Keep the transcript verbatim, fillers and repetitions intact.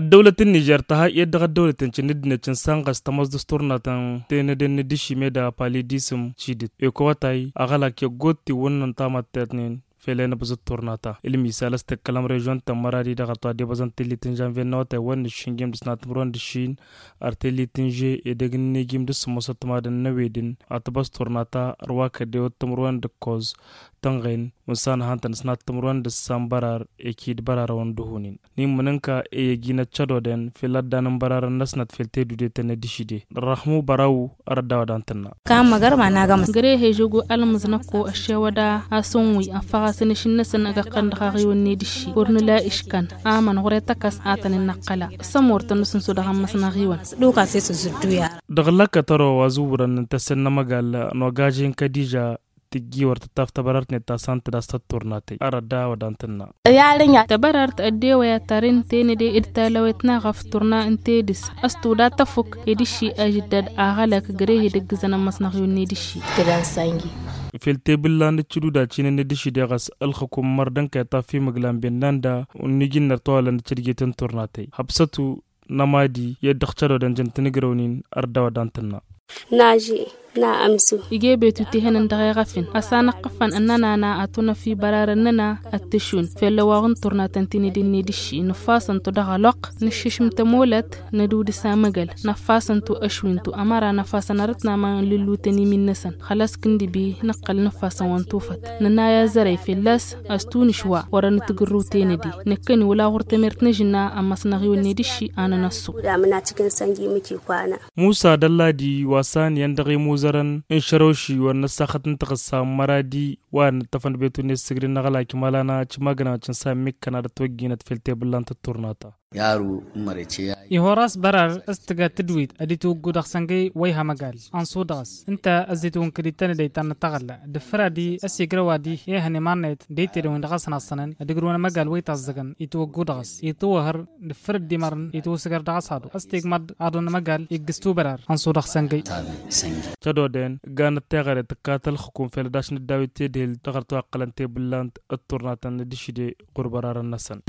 Ăddăwlăt n-nižer tăha i-dd-dăɣ ăddăwlăt n-cǝnnǝddǝnet n-sanɣăs tămoos dăɣ-s turnatăn tenăden n-dd-išime d-apali d-isǝm cidǝt ekăwătay ăɣălak i-ăggoot tiwǝnnăn tamattetnen fel enăbăẓăt turnata. Ǝlmisal a-s tǝkkălăm režion tămmăradi dăɣ-ăṭṭu ad-debăẓăn tellit n-žanvyen n-awătay wăr nǝššǝnjim d-sănat timǝrwen d-ǝššin ar tellit n-že edăgg n-inijim d-sǝmmosăt timadăn n-ewedǝn ad-tǝbăẓ turnata ărwakădewăt timǝrwen d-ǝkkoẓ tănɣen. Unsan hantăn sănat timǝrwen d-ǝssan bărar ekid bărarăwăn d-uhunin n-immǝnǝnka eyăgin ăccădoden fel ad-danăn bărarăn-năsnăt fel tedudetăn n-ed išide. Răhmu bărawu ărădda wa dan tǝnna. Kămăgăr ma n-agămăs. Găre hežăgo almǝznăkko ăššewăda asǝnwǝy ăffăɣ-asăn išǝnnăsăn ăgg-ăqqăn dăɣ-aɣiwăn n-ed išši wăr nǝla iškan amăn ɣur-e tăkăs a tăn-in-năqqăla. Sămortăn n-asǝnso dăɣ-ămmăsnăɣ iwăn. Dăɣ-lăkkăt ărwa wa zǝwwărăn n-tăsăn n-amăgal n-ogažen kădiža tǝjji wăr tǝttaf tăbărart-net ta s-an tǝdas tătturnatăy arădda wa dan tǝnna. Tăbărart ăddewăy ad-tarǝn tenăde d-talăwet n-aɣăf turna n-tedǝs. Ăstudad tăfuk ed išši ažǝddad aɣălăk găre hedăggǝzăn ămmăsnăɣ iwăn n-ed išši. Fel tebǝlla n-ǝccǝduda cinăn ed išši deɣ a-s ǝlxǝkum mărdăn kăy-ăṭṭaf imǝglan bennanda. Unni jǝnnăr tawalăn d-cădget n-turnatăy hăbsătu n-amadi i-dd-ăɣcădodăn jăn tinǝgrăwnin. Ărdaw ad-dantǝnna. Naži na ămsu. Ige betu tihănăn dăɣ-eɣăfin a-s anăqqăfăn ănnănana ad-tunăf ibararăn-năna ad-tǝšun fell-ăwaɣ n-turnatăn tinǝdǝnne d-išši nǝffasăn-tu dăɣ-ăloqq nǝššǝšǝm tămolăt nădudǝs amăgăl. Năffasăn-tu ăšwin-tu ămăra năfasăn arǝtnama n-lǝllutăn imin-năsăn xălas kǝndǝbi nǝqqăl nǝffasăn wa n-tufăt. Nǝnay azărăy fell-as a-s tunǝš wa wărăn tǝgǝrrǝw tenăde năkkăni wăla ɣur-tămert n-ažǝnna ămmăsnăɣ iwăn n-edǝšši a nănăssu. Musa d-ălladi wa s-aniyăn dăɣ-imuzărăn n-šărăwši wăr năssaxăt n-taɣǝssa n-măradi wa nǝttăfăn betu n-esǝgri n-aɣălak imalana cimagna cǝnsa n-mikkăn ad-ătwăjjinăt fel tebǝllant d-turnata. Yaru n-mărece ya. Ihor a-s bărar s-tǝga tǝdwit ad-itwǝggu dăɣ-săngăy wa iha măgal ănṣu dăɣ-s ǝnta ăzzitwǝnkăd itănădăy ta n-taɣǝlla d-ǝffăr ad-dd-ăsigrăw ad-ihăn iman-net d-aytedăwin dăɣ-asăn aṣṣănăn ad-ǝgrǝwăn amăgal wa itaẓẓăgăn itwǝggu dăɣ-s itwǝhăr d-ǝffăr dd-imărăn itwǝsǝgăr dăɣ-s aḍu a-s tegmăḍ aḍu n-amăgal iggǝs tubărar. Ănṣu dăɣ-săngăy tădoden ganăt teɣăre tǝkkat ălxǝkum fel ad-ašnăt dawit tedhel dăɣ-ărtăwaqqălăn tebǝllant d-turnatăn d-išide ɣur-bărarăn-năsăn.